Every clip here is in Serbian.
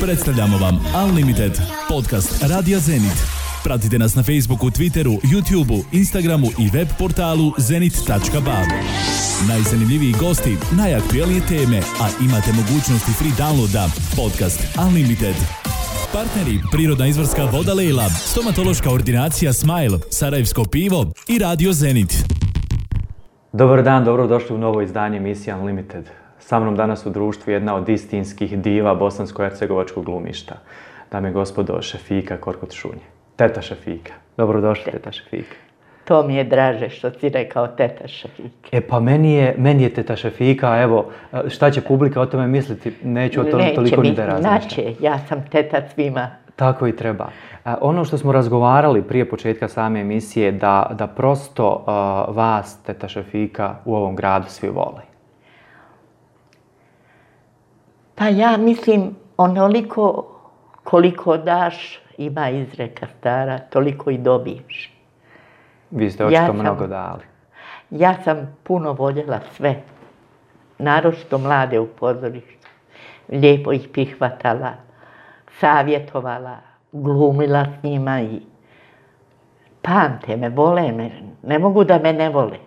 Predstavljamo vam Unlimited, podcast Radija Zenit. Pratite nas na Facebooku, Twitteru, YouTubeu, Instagramu i web portalu zenit.ba. Najzanimljiviji gosti, najaktuelnije teme, a imate mogućnosti free downloada. Podcast Unlimited. Partneri: Prirodna izvorska voda Lejla, stomatološka ordinacija Smile, Sarajevsko pivo i Radio Zenit. Dobar dan, dobrodošli u novo izdanje emisije Unlimited. Sa mnom danas u društvu jedna od istinskih diva bosansko-hercegovačkog glumišta. Dame i gospodo, Šefika Korkut-Šunje. Teta Šefika. Dobrodošli, teta Šefika. To mi je draže što si rekao teta Šefika. Pa meni je teta Šefika, evo, šta će publika o tome misliti, neću o tome toliko ni da razmišljam. Neće, ja sam teta svima. Tako i treba. Ono što smo razgovarali prije početka same emisije, da prosto vas, teta Šefika, u ovom gradu svi vole. Pa ja mislim, onoliko koliko daš, ima izreka stara, toliko i dobiješ. Vi ste očito mnogo dali. Ja sam puno voljela sve, naročito mlade u pozorištu. Lijepo ih prihvatala, savjetovala, glumila s njima i pamte me, vole me, ne mogu da me ne vole.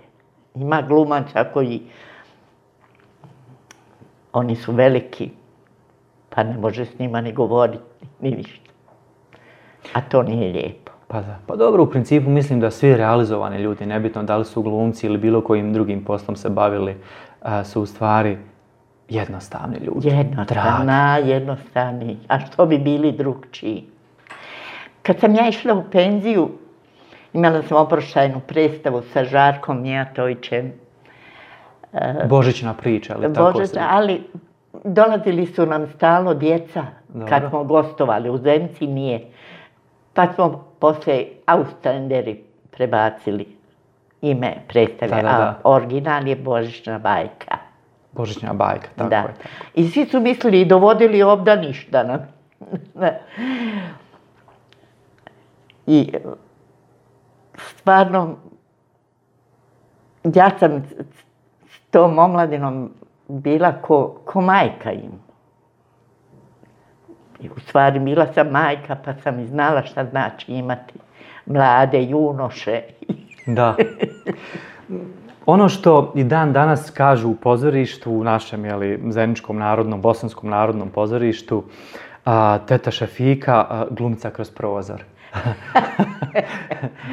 Ima glumaca koji, oni su veliki, pa ne može s njima ni govoriti, ni ništa. A to nije lijepo. Pa da. Pa dobro, u principu mislim da svi realizovani ljudi, nebitno da li su glumci ili bilo kojim drugim poslom se bavili, su u stvari jednostavni ljudi. Jednostavni. A što bi bili drugčiji? Kad sam ja išla u penziju, imala sam oproštajnu predstavu sa Žarkom Mijatovićem. Božićna priča, ali tako se... Ali dolazili su nam stalno djeca, kad smo gostovali u Zenici, nije. Pa smo poslije Austrenderi prebacili ime predstave, a original je Božićna bajka. Božićna bajka, tako je. I svi su mislili i dovodili obdaništa nam. I stvarno, ja sam s tom omladinom bila ko majka im. I u stvari bila sam majka, pa sam i znala šta znači imati mlade junoše. Da. Ono što i dan danas kažu u pozorištu, u našem Zeničkom narodnom, Bosanskom narodnom pozorištu, teta Šefika, glumca kroz prozor.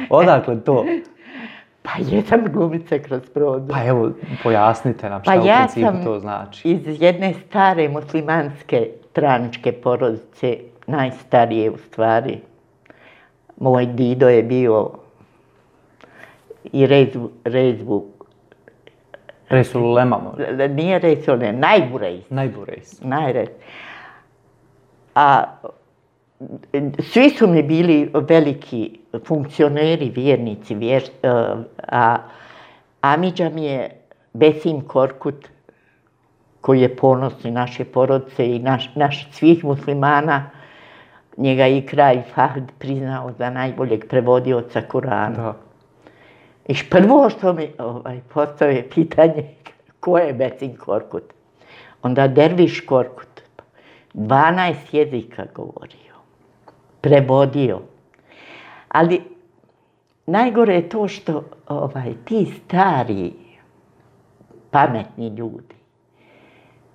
Odakle to? Pa jesam glumica kroz prozor. Pa evo, pojasnite nam šta u principu to znači. Pa ja sam iz jedne stare muslimanske traničke porodice, najstarije u stvari. Moj dido je bio i rezvu. Resul Ulema možda? Nije Resul, ne, Najburejs. Najburejs. A svi su mi bili veliki funkcioneri, vjernici, a amidža mi je Besim Korkut, koji je ponosni naše porodice i naš svih muslimana, njega i kralj Fahd priznao za najboljeg prevodioca Kurana. I prvo što mi postave pitanje, ko je Besim Korkut? Onda Derviš Korkut, 12 jezika govorio, prevodio. Ali najgore je to što ti stari, pametni ljudi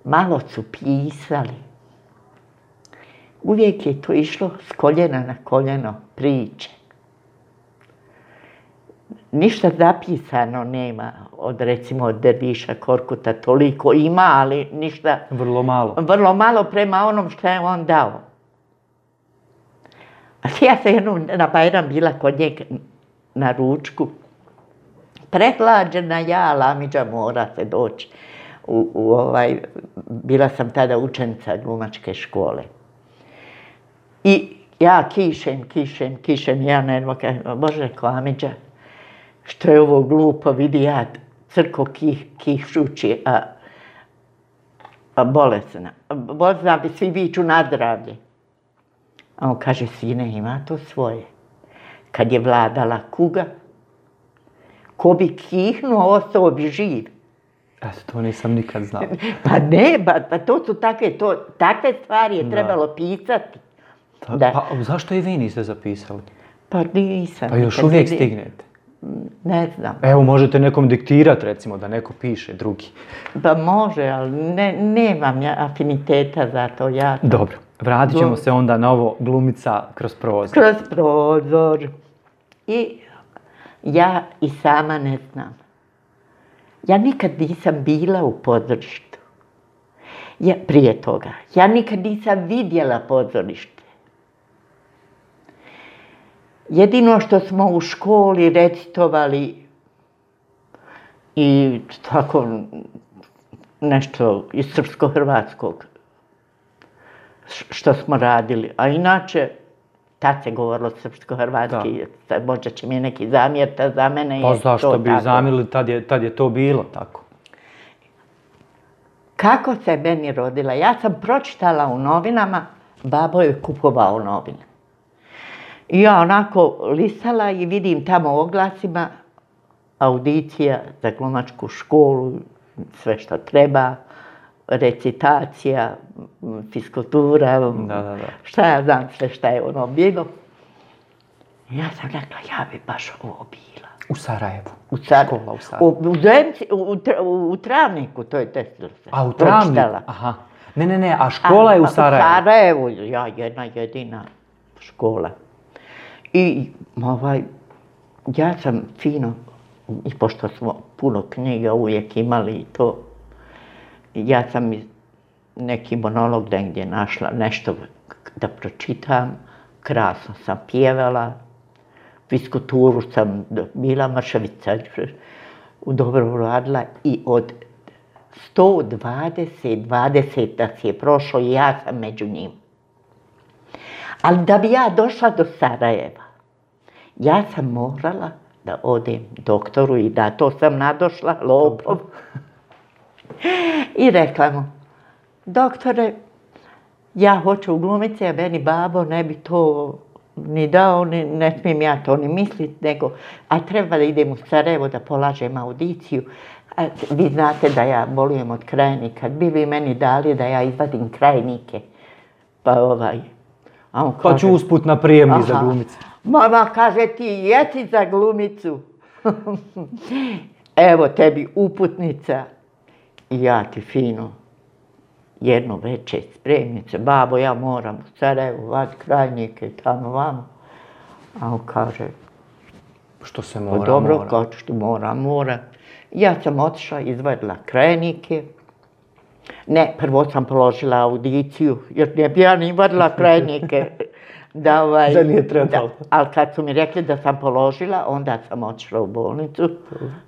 malo su pisali. Uvijek je to išlo s koljena na koljeno priče. Ništa zapisano nema recimo Derviša Korkuta, toliko ima, ali ništa... Vrlo malo. Vrlo malo prema onom što je on dao. A ja sam jednom na Bajram bila kod njega na ručku. Prehlađena ja, amidža, mora se doći. Bila sam tada učenica glumačke škole. I ja kišem, ja nedmo kažem, Bože, ko amidža, što je ovo glupo, vidi ja crko kišući, a bolesna. Bolesna bi svi viču na zdravlje. A on kaže, sine, ima to svoje. Kad je vladala kuga, ko bi kihnuo, ostao bi živ. To nisam nikad znao. Pa ne, pa to su takve stvari je trebalo pisati. Pa zašto i vi niste zapisali? Pa nisam. Pa još uvijek stignete. Ne znam. Evo, možete nekom diktirati, recimo, da neko piše, drugi. Pa može, ali nemam ja afiniteta za to. Dobro, vratit ćemo se onda na ovo glumica kroz prozor. Kroz prozor. I ja i sama ne znam. Ja nikad nisam bila u pozorištu. Prije toga. Ja nikad nisam vidjela pozorište. Jedino što smo u školi recitovali i tako nešto iz srpsko-hrvatskog što smo radili. A inače, tad se govorilo srpsko-hrvatski, možda će mi neki zamjeriti, za mene je to tako. Pa zašto bi zamjerili, tad je to bilo tako. Kako se meni rodila? Ja sam pročitala u novinama, babo je kupovao novine. I ja onako listala i vidim tamo u oglasima audicija za glumačku školu, sve što treba, recitacija, fiskultura, šta ja znam sve šta je ono bilo. I ja sam rekla, ja bi baš ovo bila. U Sarajevu? Škola u Sarajevu. U Travniku, to je desilo se. A u Travniku? Aha. Ne, a škola je u Sarajevu? U Sarajevu, ja, jedna jedina škola. I ja sam fino, i pošto smo puno knjiga uvijek imali i to, ja sam neki monolog negdje našla, nešto da pročitam, krasno sam pjevala, fiskulturu sam bila mršavica, dobro radila i od 120 nas je prošlo i ja sam među njim. Ali da bi ja došla do Sarajeva, ja sam morala da odem doktoru i da to sam nadošla, lopov. I rekla mu, doktore, ja hoću u glumici, a meni babo ne bi to ni dao, ne smijem ja to ni misliti, nego, a treba da idem u Sarajevo da polažem audiciju. A vi znate da ja bolujem od krajnika, bi vi meni dali da ja izvadim krajnike. Pa ću usput na prijemni za glumicu. Mama kaže ti jesi za glumicu. Evo tebi uputnica i ja ti fino jedno večer spremnice. Babo, ja moram u Sarajevo vati krajnike tamo vamo. A on kaže, što se mora, dobro, kao što mora. Ja sam otišla, izvadila krajnike. Ne, prvo sam položila audiciju, jer ne bi ja ni vadila krajnike. Da nije trebalo. Ali kad su mi rekli da sam položila, onda sam otišla u bolnicu,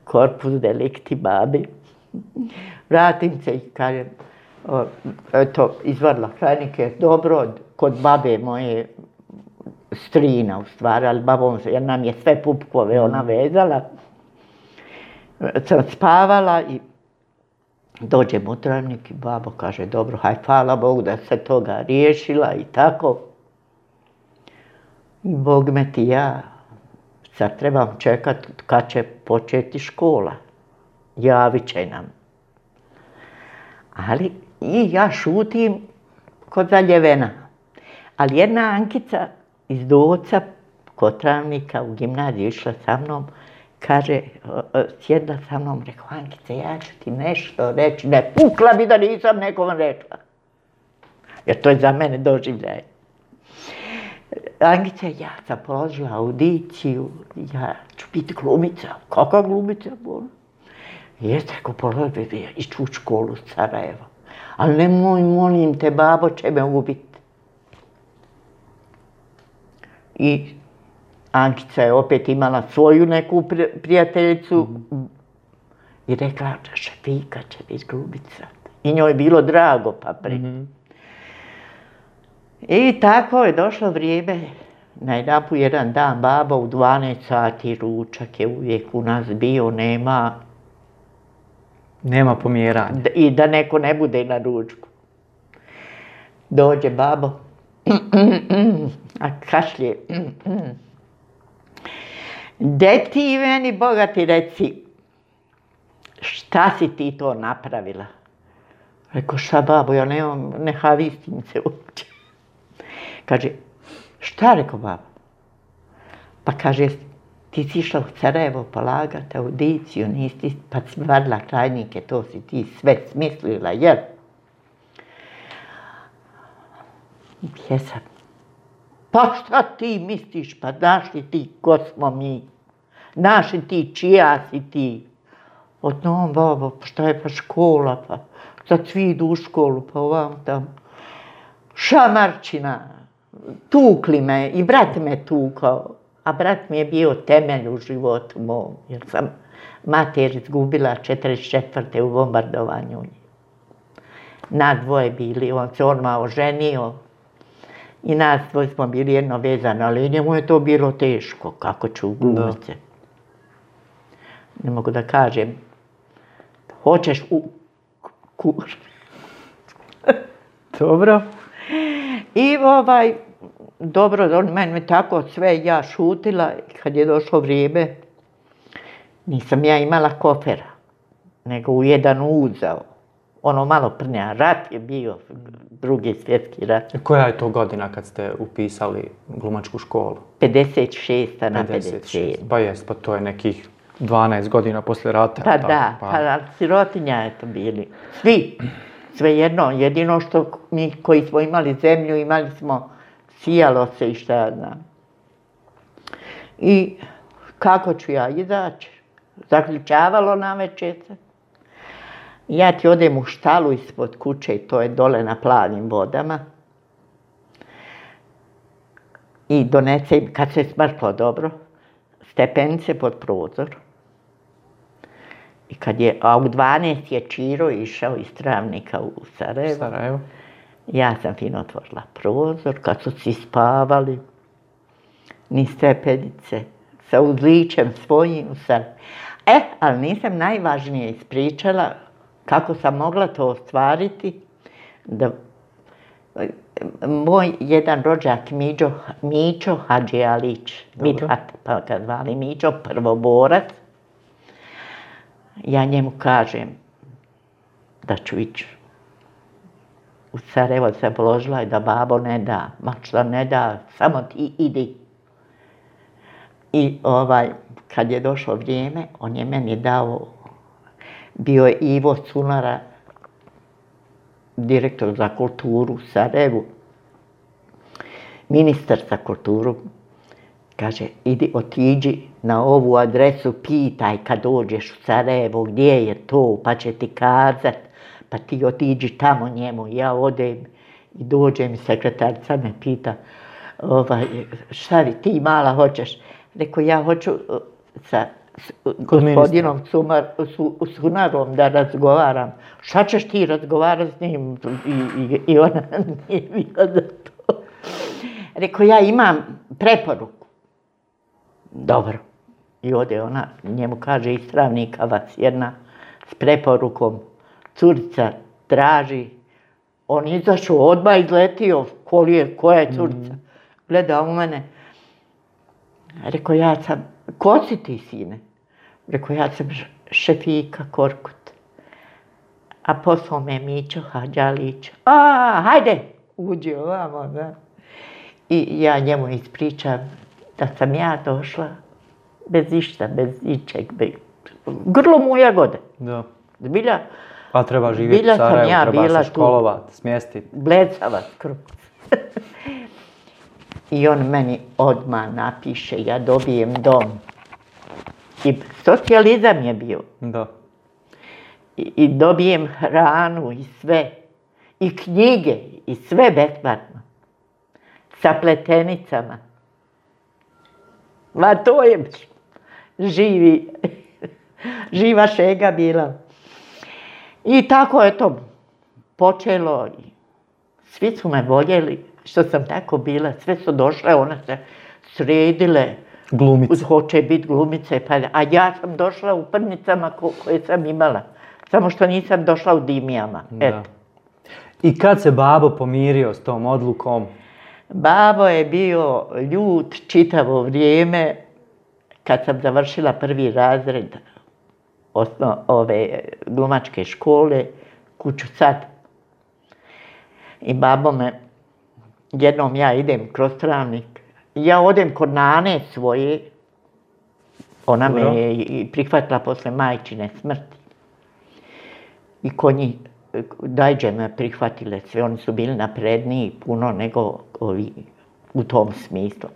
korpus delikti babi. Vratim se i kažem, eto, izvadila krajnike, dobro, kod babe moje strina u stvari, ali babom, jer nam je sve pupkove ona vezala. Sam spavala i dođem u Travnik i babo kaže, dobro, haj, hvala Bogu da se toga riješila i tako. I Bog me ti ja, sad trebam čekat kad će početi škola. Javit će nam. Ali i ja šutim kod zaljevena. Ali jedna Ankica iz Doca kod Travnika u gimnaziju išla sa mnom, kaže, sjedla sa mnom, rekao, Ankice, ja ću ti nešto reći, ne pukla bi da nisam nekom rekla. Jer to je za mene doživljaj. Ankice, ja sam položila audiciju, ja ću biti glumica. Kakva glumica? Jeste, ako položila, iću u školu u Sarajevo. Ali nemoj, molim te, babo će me ubiti. I Ankica je opet imala svoju neku prijateljicu i rekla, Šefika će biti glumica. I njoj je bilo drago, pa I tako je došlo vrijeme, najedanput jedan dan baba u 12 sati, ručak je uvijek u nas bio, nema pomjeranja. I da neko ne bude na ručku. Dođe babo, a kašlje. De ti meni, Boga ti reci, šta si ti to napravila? Rekao, šta babo, ja nemam, ne havistim se uopće. Kaže, šta, rekao babo? Pa kaže, ti si išla u Sarajevo polagati audiciju, nisi, pa si vadila krajnike, to si ti sve smislila, jel? Jesam. Pa šta ti misliš, pa znaš li ti ko smo mi? Znaš li ti čija si ti? Odnom, babo, pa šta je pa škola, pa sad svi idu u školu, pa ovam tam. Šamarčina, tukli me i brat me tukao. A brat mi je bio temelj u životu mom, jer sam mater izgubila 44. u bombardovanju. Nas dvoje bili, on se odmah oženio i nas dvoje smo bili jedno vezano, ali njemu je to bilo teško, kako ću glumiti se. Ne mogu da kažem, hoćeš u kur. Dobro. I dobro, on meni tako sve, ja šutila, kad je došlo vrijeme, nisam ja imala kofera, nego u jedan uzao, ono malo prnja, rat je bio, Drugi svjetski rat. Koja je to godina kad ste upisali glumačku školu? 56. na 57. Pa jest, pa to je nekih 12 godina poslije rata. Pa da, pa sirotinja je to bili, svi, svejedno, jedino što mi koji smo imali zemlju, imali smo sijalo se i šta ja znam. I kako ću ja izaći? Zaključavalo navečer se. Ja ti odem u štalu ispod kuće, to je dole na Plavim vodama. I donesem, kad se smrklo dobro, stepenice pod prozor. I a u 12 je Čiro išao iz Travnika u Sarajevo. Ja sam fino otvorila prozor, kad su svi spavali, ni stepenice, sa uzličem svojim. Ali nisam najvažnije ispričala kako sam mogla to ostvariti. Moj jedan rođak Mićo Hadžialić, Mithat, pa ga zvali Mićo, prvoborac, ja njemu kažem da ću ići u Sarajevo, se položila i da babo ne da, ma šta ne da, samo ti idi. I kad je došlo vrijeme, on je meni dao, bio je Ivo Cunara, direktor za kulturu u Sarajevu, ministar za kulturu, kaže, idi otiđi na ovu adresu, pitaj kad dođeš u Sarajevo gdje je to, pa će ti kazat, pa ti otiđi tamo njemu. Ja odem i dođem i sekretarica me pita, šta vi ti mala hoćeš? Rekao, ja hoću sa gospodinom Cunarom da razgovaram. Šta ćeš ti razgovarati s njim? I ona nije bila za to. Rekao, ja imam preporuku. Dobro. I ode ona, njemu kaže, iz Travnika vas jedna s preporukom. Curica traži. On izašao, odmah izletio, koja je curica. Gleda u mene. Rekao, ja sam, ko si ti, sine? Rekao, ja sam Šefika Korkut. A poslao me Mićo Hadžialić. Hajde, uđi ovamo, da. I ja njemu ispričam da sam ja došla bez išta, bez ničeg. Grlo mu jagode. Da. Zbilja. Pa treba živjeti u Sarajevu, treba se školovati, smjestiti. Bledzavac krug. I on meni odmah napiše, ja dobijem dom. I socijalizam je bio. Da. I dobijem hranu i sve. I knjige i sve besplatno. Sa pletenicama. Ma to je živa šega bila. I tako je to počelo. Svi su me voljeli što sam tako bila. Sve su došle, one se sredile. Glumice. Hoće biti glumice. A ja sam došla u prnicama koje sam imala. Samo što nisam došla u dimijama. Eto. I kad se babo pomirio s tom odlukom? Babo je bio ljut čitavo vrijeme kad sam završila 1. razred. ove glumačke škole, kuću sad. I babo me, jednom ja idem kroz Travnik, ja odem kod nane svoje, ona me je i prihvatila posle majčine smrti. I kod njih, dajđe me prihvatile sve, oni su bili napredniji puno nego ovi u tom smislu.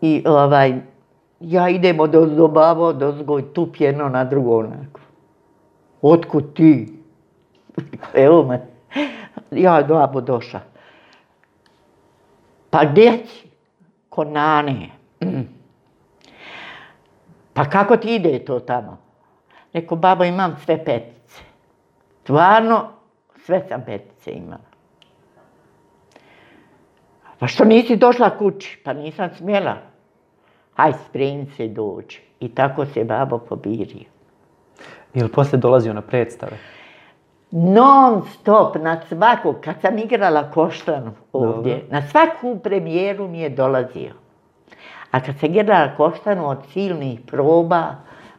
I ja idem od babo, dozgoj, tup jedno na drugo onako. Otkud ti? Evo me. Ja babo došla. Pa gdje si? Kod nane. Pa kako ti ide to tamo? Rekao, babo, imam sve petice. Stvarno, sve sam petice imala. Pa što nisi došla kući? Pa nisam smjela. Haj, spremi se i dođi. I tako se babo pobirio. Je li poslije dolazio na predstave? Non stop, na svaku, kad sam igrala Koštanu ovdje, Dobro. na svaku premijeru mi je dolazio. A kad sam igrala Koštanu od silnih proba,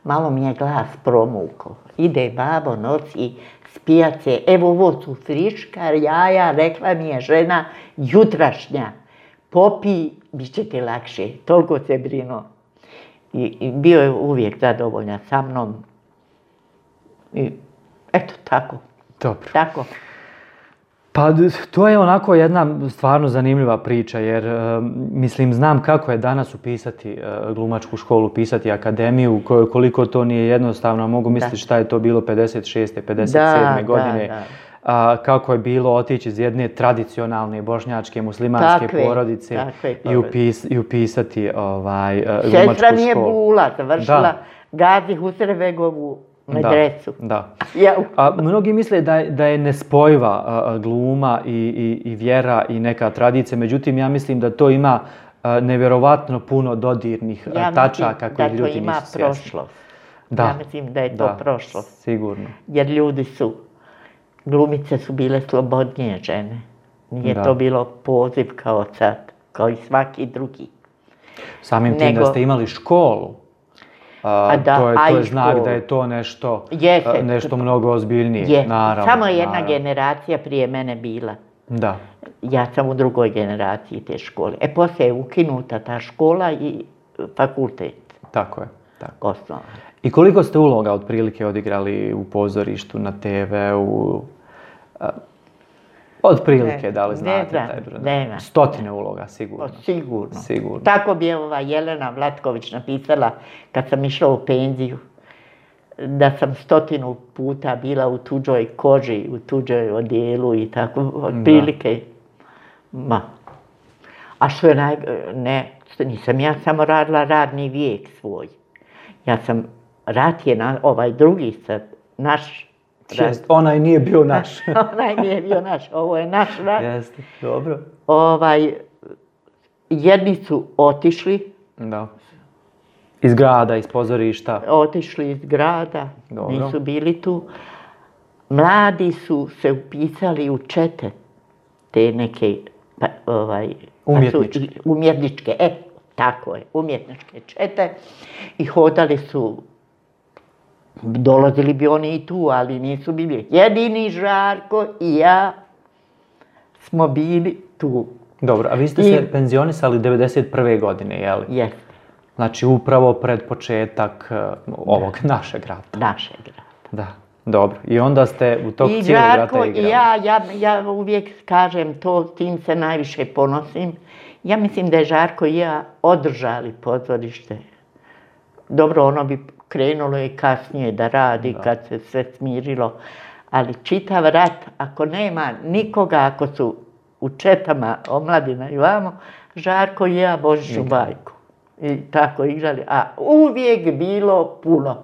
malo mi je glas promukao. Ide babo, nosi s pijace, evo ovo su friška jaja, rekla mi je žena jutrašnja. Popi, bit će ti lakše, toliko se brinuo. I bio je uvijek zadovoljan sa mnom. I eto, tako. Dobro. Tako. Pa to je onako jedna stvarno zanimljiva priča jer mislim znam kako je danas upisati glumačku školu, upisati akademiju, koliko to nije jednostavno, mogu misliti šta je to bilo 56. 57. godine. Kako je bilo otići iz jedne tradicionalne bošnjačke muslimanske porodice i upisati glumačku školu. Sestra mi je Bula završila Gazi Husrevegovu medresu. Da. Mnogi misle da je nespojiva gluma i vjera i neka tradicija, međutim ja mislim da to ima nevjerovatno puno dodirnih tačaka koji ljudi nisu svjesni. Ja mislim da to ima prošlost. Ja mislim da je to prošlost. Sigurno. Jer glumice su bile slobodnije žene. Nije to bilo poziv kao sad, kao i svaki drugi. Samim tim da ste imali školu, to je znak da je to nešto mnogo ozbiljnije, naravno. Samo jedna generacija prije mene bila. Da. Ja sam u drugoj generaciji te škole. Poslije je ukinuta ta škola i fakultet. Tako je. Osnovno. I koliko ste uloga otprilike odigrali u pozorištu, na TV-u? Otprilike, da li znate taj broj? Nema. Stotine uloga, sigurno. Sigurno. Tako bi je Jelena Vlatković napisala kad sam išla u penziju, da sam 100 puta bila u tuđoj koži, u tuđoj odijelu i tako, otprilike. A što je nisam ja samo radila radni vijek svoj. Rat je ovaj drugi sad, naš. Onaj nije bio naš. Onaj nije bio naš, ovo je naš rat. Jeste, dobro. Jedni su otišli. Da. Iz grada, iz pozorišta. Otišli iz grada, nisu bili tu. Mladi su se upisali u čete, te neke umjetničke, tako je, umjetničke čete i hodali su. Dolazili bi oni i tu, ali nisu bili. Jedini Žarko i ja smo bili tu. Dobro, a vi ste se penzionisali 91. godine, je li? Jeste. Znači upravo pred početak ovog našeg rata. Našeg rata. Da, dobro. I onda ste u tog cijelog rata igrali. I Žarko i ja uvijek kažem to, tim se najviše ponosim. Ja mislim da je Žarko i ja održali pozorište. Dobro, ono bi krenulo i kasnije da radi kad se sve smirilo, ali čitav rat, ako nema nikoga, ako su u četama omladina i vamo, Žarko i ja Božiću bajku. I tako igrali, a uvijek bilo puno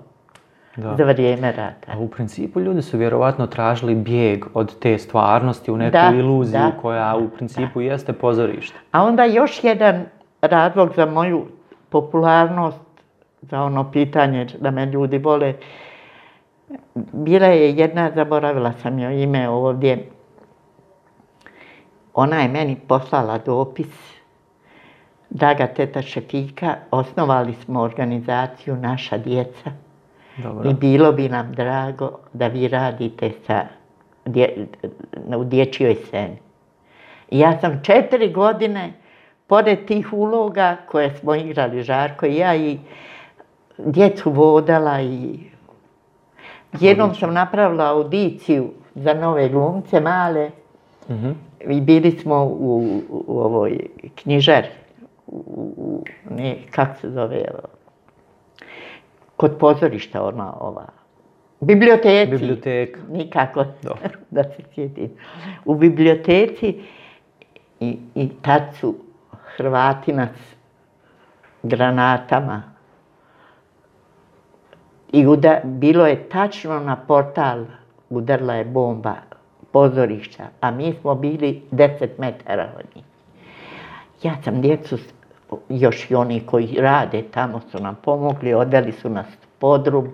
za vrijeme rata. A u principu ljudi su vjerovatno tražili bijeg od te stvarnosti u neku iluziju koja u principu jeste pozorište. A onda još jedan razlog za moju popularnost, za ono pitanje da me ljudi vole. Bila je jedna, zaboravila sam joj ime ovdje, ona je meni poslala dopis draga teta Šefika, osnovali smo organizaciju Naša djeca. Dobro. I bilo bi nam drago da vi radite u dječjoj sceni. I ja sam 4 godine, pored tih uloga koje smo igrali, Žarko i ja, i djecu vodala i jednom sam napravila audiciju za nove glumce male i bili smo u ovoj knjižari, kako se zove, kod pozorišta ova, biblioteci. Biblioteka. Nikako da se sjetim. U biblioteci i tad su Hrvati nas granatama i bilo je tačno na portal, udarila je bomba pozorišta, a mi smo bili 10 metara od njih. Ja sam djecu, još i oni koji rade tamo su nam pomogli, odveli su nas u podrum.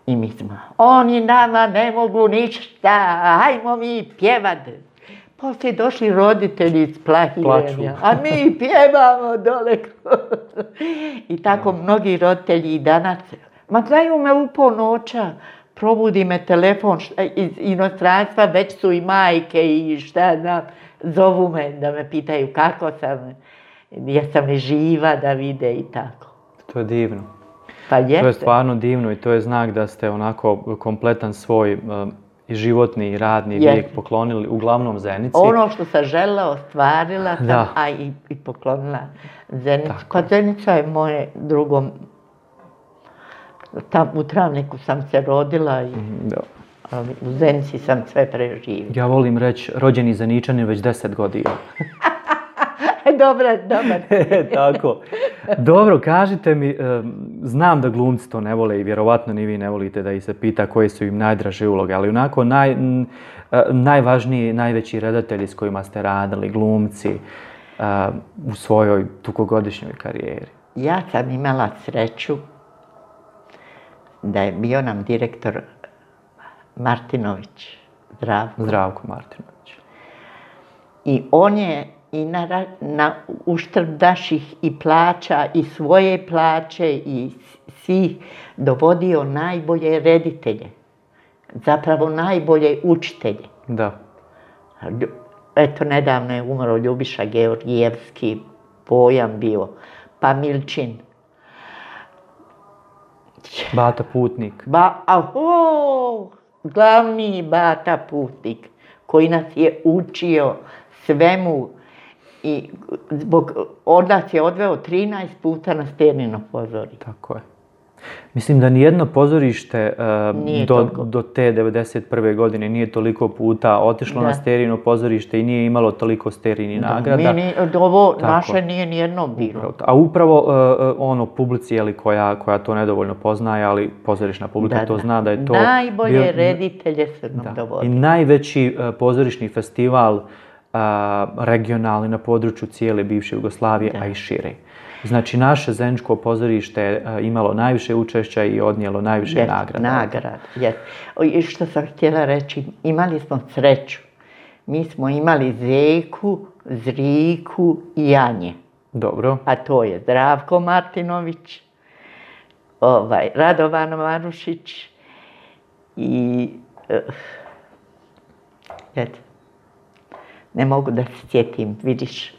I mi smo, oni nama ne mogu ništa, hajmo mi pjevat. Poslije došli roditelji iz Plahirenja, a mi pjevamo dole. I tako mnogi roditelji i danas, ma znaju me u ponoća, probudi me telefon iz inostranstva, već su i majke i šta znam, zovu me da me pitaju kako sam, jesam li živa da vide i tako. To je divno. Pa jeste. To je stvarno divno i to je znak da ste onako kompletan svoj i životni i radni vijek poklonili uglavnom Zenici. Ono što sam željela, ostvarila sam, a i poklonila Zenici. Pa Zenica je moje drugo, u Travniku sam se rodila i u Zenici sam sve preživjela. Ja volim reći rođeni Zeničanin već 10 godina. Dobar. Tako. Dobro, kažite mi, znam da glumci to ne vole i vjerovatno ni vi ne volite da ih se pita koje su im najdraže uloge, ali onako najvažniji, najveći redatelji s kojima ste radili, glumci, u svojoj dugogodišnjoj karijeri. Ja sam imala sreću da je bio nam direktor Martinović, Zdravko Martinović. I on je i na uštrb naših i plaća i svoje plaće i svih dovodio najbolje reditelje. Zapravo najbolje učitelje. Da. Eto, nedavno je umro Ljubiša Georgijevski, pojam bio, pa Milčin. Bata Putnik. Glavni Bata Putnik koji nas je učio svemu i od nas je odveo 13 puta na Sternino pozorište. Tako je. Mislim da nijedno pozorište do te 91. godine nije toliko puta otišlo na Sternino pozorište i nije imalo toliko Sterni nagrada. Ovo naše nije nijedno bilo. A upravo publici koja to nedovoljno poznaje, ali pozorišna publika to zna da je to... Najbolje reditelje su nam dovodili. I najveći pozorišni festival regionalni na području cijele bivše Jugoslavije, a i šire. Znači, naše Zeničko pozorište je imalo najviše učešća i odnijelo najviše nagrada. I što sam htjela reći, imali smo sreću. Mi smo imali Zeku, Zriku i Janje. Dobro. A to je Zdravko Martinović, Radovan Marušić i... Ne mogu da se sjetim, vidiš,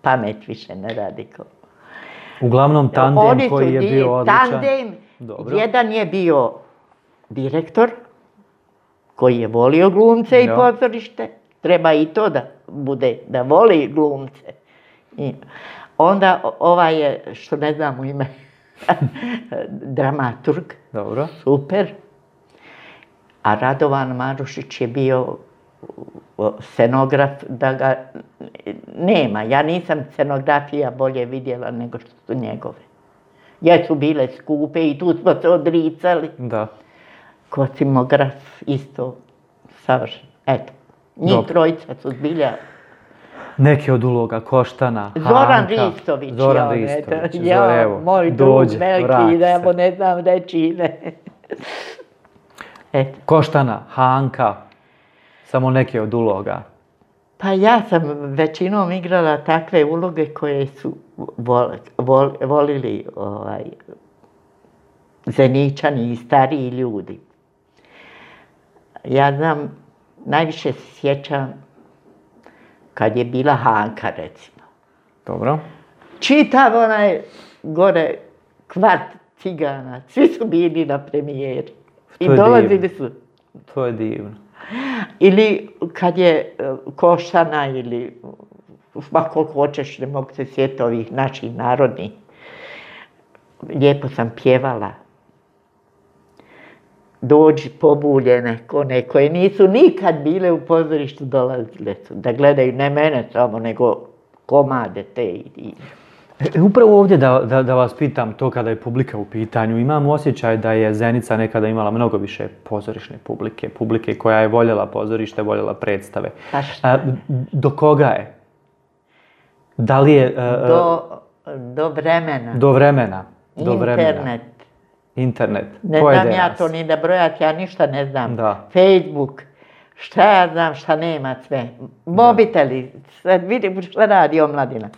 pamet više ne radi. Uglavnom tandem koji je bio odličan. Tandem, jedan je bio direktor, koji je volio glumce i pozorište. Treba i to da bude, da voli glumce. Onda ovaj je, što ne znam u ime, dramaturg. Dobro. Super. A Radovan Marušić je bio scenograf, da ga nema. Ja nisam scenografija bolje vidjela nego što su njegove. Jesu bile skupe i tu smo se odricali. Da. Kostimograf isto savršen. Eto, njih trojica su zbilja... Neki od uloga, Koštana, Hanka. Zoran Ristović. Evo, moj drug veliki, evo ne znam reći ime. Koštana, Hanka. Samo neke od uloga. Pa ja sam većinom igrala takve uloge koje su volili Zeničani i stariji ljudi. Ja znam, najviše se sjećam kad je bila Hanka, recimo. Dobro. Čitav onaj gore kvart cigana, svi su bili na premijeri. I dolazili su. To je divno. Ili kad je Košana ili koliko hoćeš, ne mogu se sjetiti ovih naših narodnih. Lijepo sam pjevala. Dođi pobuljene, one koje nisu nikad bile u pozorištu, dolazile su da gledaju ne mene samo, nego komade te. Upravo ovdje da vas pitam to kada je publika u pitanju. Imam osjećaj da je Zenica nekada imala mnogo više pozorišne publike koja je voljela pozorište, voljela predstave. Do koga je? Da li je... Do vremena. Do vremena. Internet. Ne znam ja to ni da brojati, ja ništa ne znam. Facebook, šta ja znam, šta nema sve. Mobiteli, sad vidim šta radi omladina.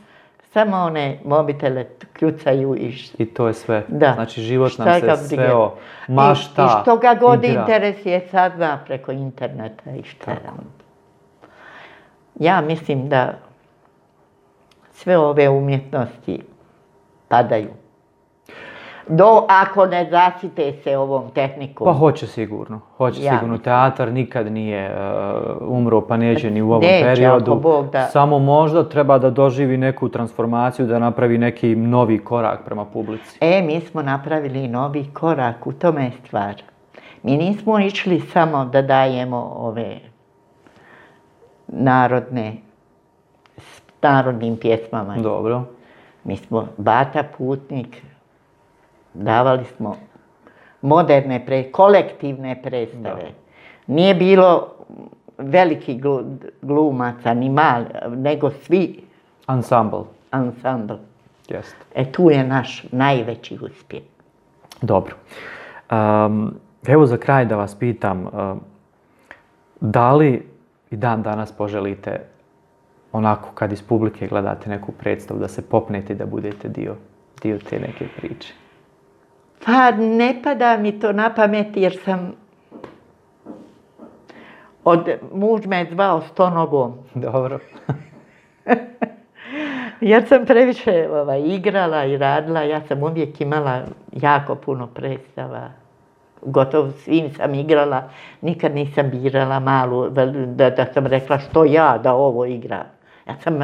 Samo one mobitele kljucaju i to je sve. Da. Znači život nam se sveo, mašta, i što ga god interesuje sad zna preko interneta i šta. Ja mislim da sve ove umjetnosti padaju. Ako ne zasite se ovom tehnikom. Pa hoće sigurno. Teatar nikad nije umro, pa neće ni u ovom periodu. Samo možda treba da doživi neku transformaciju, da napravi neki novi korak prema publici. Mi smo napravili novi korak, u tome je stvar. Mi nismo išli samo da dajemo ove narodnim pjesmama. Dobro. Mi smo Bata Putnik, davali smo moderne, kolektivne predstave. Nije bilo velikih glumaca, ni mali, nego svi. Ansambl. Tu je naš najveći uspjeh. Dobro. Evo za kraj da vas pitam, da li i dan danas poželite onako kad iz publike gledate neku predstavu, da se popnete i da budete dio te neke priče? Pa ne pada mi to na pamet jer sam muž me zvao Stonogom. Dobro. Jer sam previše igrala i radila, ja sam uvijek imala jako puno predstava. Gotovo svim sam igrala, nikad nisam birala malu, da sam rekla što ja da ovo igram. Ja sam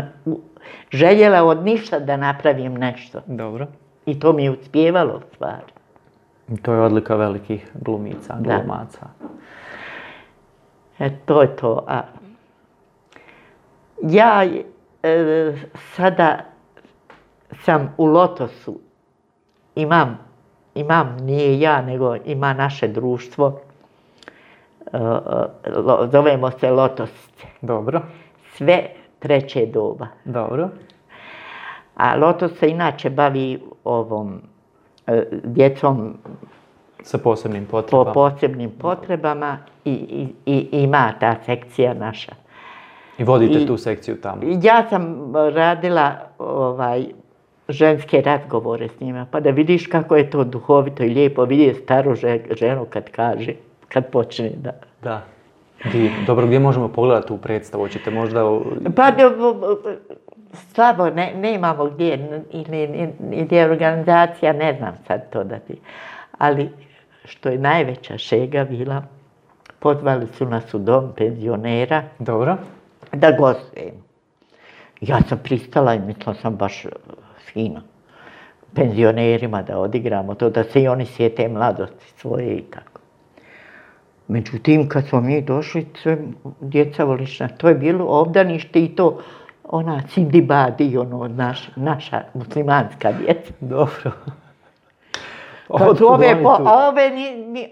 željela od ništa da napravim nešto. Dobro. I to mi je uspjevalo stvari. To je odlika velikih glumica, glumaca. To je to. Ja sada sam u Lotosu. Imam, nije ja, nego ima naše društvo. Zovemo se Lotosce. Dobro. Sve treće doba. Dobro. A Lotos se inače bavi ovom djecom sa posebnim potrebama. Po posebnim potrebama i ima ta sekcija naša. I vodite tu sekciju tamo? Ja sam radila ženske razgovore s njima, pa da vidiš kako je to duhovito i lijepo vidjeti staru ženu kad kaže, kad počne da... Da. Dobro, gdje možemo pogledati tu predstavu? Hoćete možda... Pa slabo, nemamo gdje, ili je organizacija, ne znam sad to da ti... Ali što je najveća šega bila, pozvali su nas u dom penzionera. Dobro. Da gostujemo. Ja sam pristala i mislila sam baš fino. Penzionerima da odigramo to, da se i oni sjete mladosti svoje i tako. Međutim, kad smo mi došli, sve djeca volišna, to je bilo obdanište i to ona Sindibadi, naša muslimanska djeca. Dobro.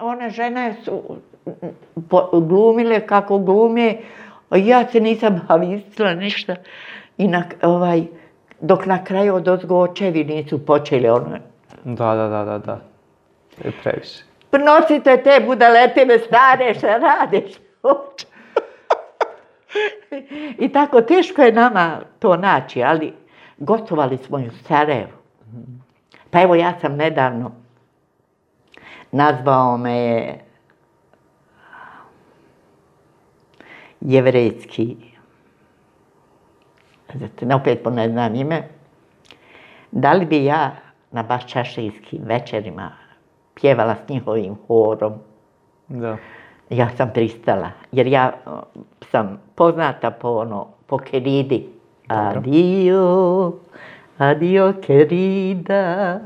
One žene su glumile kako glume, a ja se nisam havistila ništa. I dok na kraju odozgo očevi nisu počeli ono... Da. To je previše. Nosite te budaletine stare, šta radiš? I tako, teško je nama to naći, ali gostovali smo i u Sarajevu. Pa evo, ja sam nedavno, nazvao me je jevrejski, opet ne znam ime, da li bi ja na baščašijskim večerima pjevala s njihovim horom. Da. Ja sam pristala, jer ja sam poznata po Keridi. Adio, adio Kerida.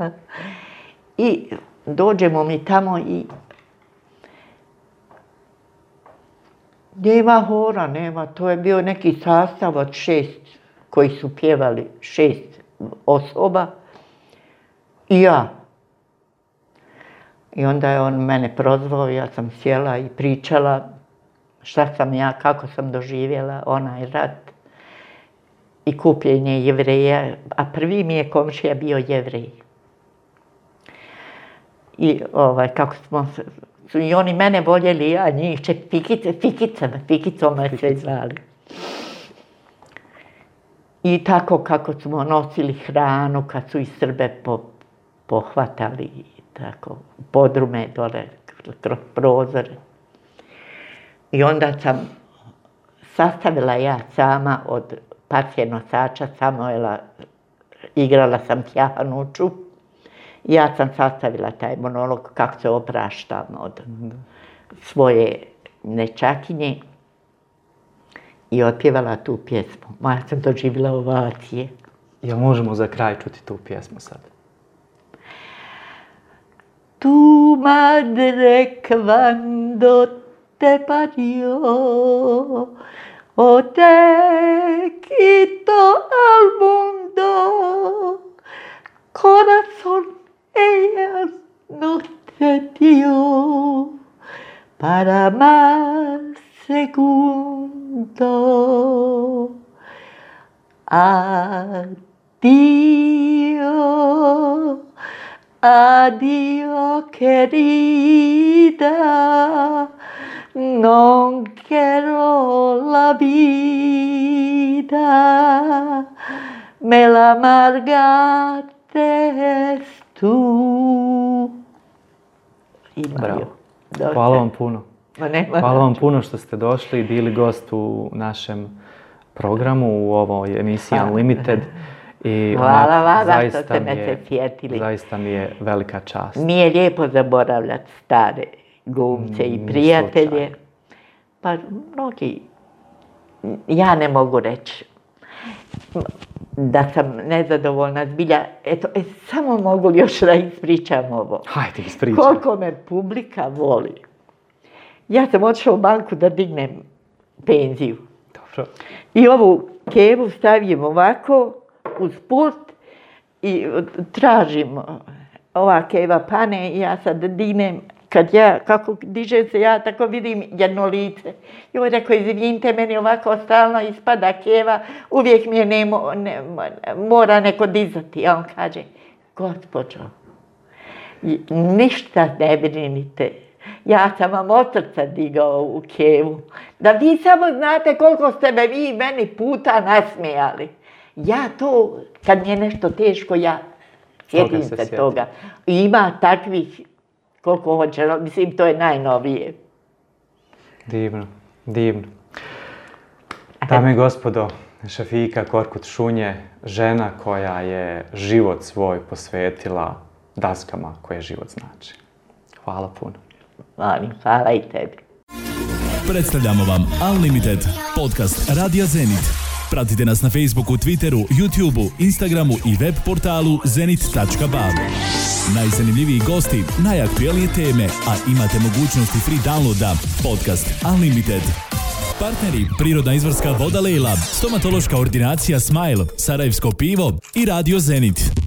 I dođemo mi tamo i nema hora, nema. To je bio neki sastav od 6 koji su pjevali, 6 osoba i ja. I onda je on mene prozvao, ja sam sjela i pričala šta sam ja, kako sam doživjela onaj rat i kupljenje Jevreja, a prvi mi je komšija bio Jevrej. I kako su i oni mene voljeli, ja njih, Fikicom me sve zvali. I tako kako smo nosili hranu, kad su i Srbe pohvatali, tako, podrume dole, kroz prozore. I onda sam sastavila ja sama od partije nosača Samuela, igrala sam Tjahanuču. Ja sam sastavila taj monolog kako se opraštam od svoje nečakinje i otpjevala tu pjesmu. Ja sam doživjela ovacije. Jel možemo za kraj čuti tu pjesmu sad? Tu madre quando te parió, o te quitó al mundo, corazón ella no te dio para más segundo. Adio, adio querida, non quiero la vida, me la amargaste tu. Bravo. Hvala vam puno. Hvala vam puno što ste došli i bili gost u našem programu, u ovoj emisiji Unlimited. I hvala vam što ste me se sjetili. Zaista mi je velika čast. Nije lijepo zaboravljati stare glumce i prijatelje. Pa mnogi, ja ne mogu reći da sam nezadovoljna zbilja. Eto, samo mogu li još da ispričam ovo. Hajde, ispričaj. Koliko me publika voli. Ja sam otišla u banku da dignem penziju. Dobro. I ovu kevu stavim ovako uz pult i tražim, ova keva pane i ja sad dignem, kako diže se ja tako vidim jedno lice. I on rekao, izvinite, meni ovako stalno ispada keva, uvijek mi je mora neko dizati. A on kaže, gospođo, ništa ne brinite. Ja sam vam od srca digao u kevu. Da vi samo znate koliko ste me vi meni puta nasmijali. Ja to, kad mi je nešto teško, ja sjetim se toga. I ima takvih koliko hoće, mislim, to je najnovije. Divno, divno. Dame i gospodo, Šefika Korkut-Šunje, žena koja je život svoj posvetila daskama koje život znači. Hvala puno. Hvala i tebi. Predstavljamo vam Unlimited, podcast Radija Zenit. Pratite nas na Facebooku, Twitteru, YouTubeu, Instagramu i web portalu zenit.ba. Najzanimljiviji gosti, najaktuelnije teme, a imate mogućnosti free downloada. Podcast Unlimited. Partneri: Prirodna izvorska voda Lejla, stomatološka ordinacija Smile, Sarajevsko pivo i Radio Zenit.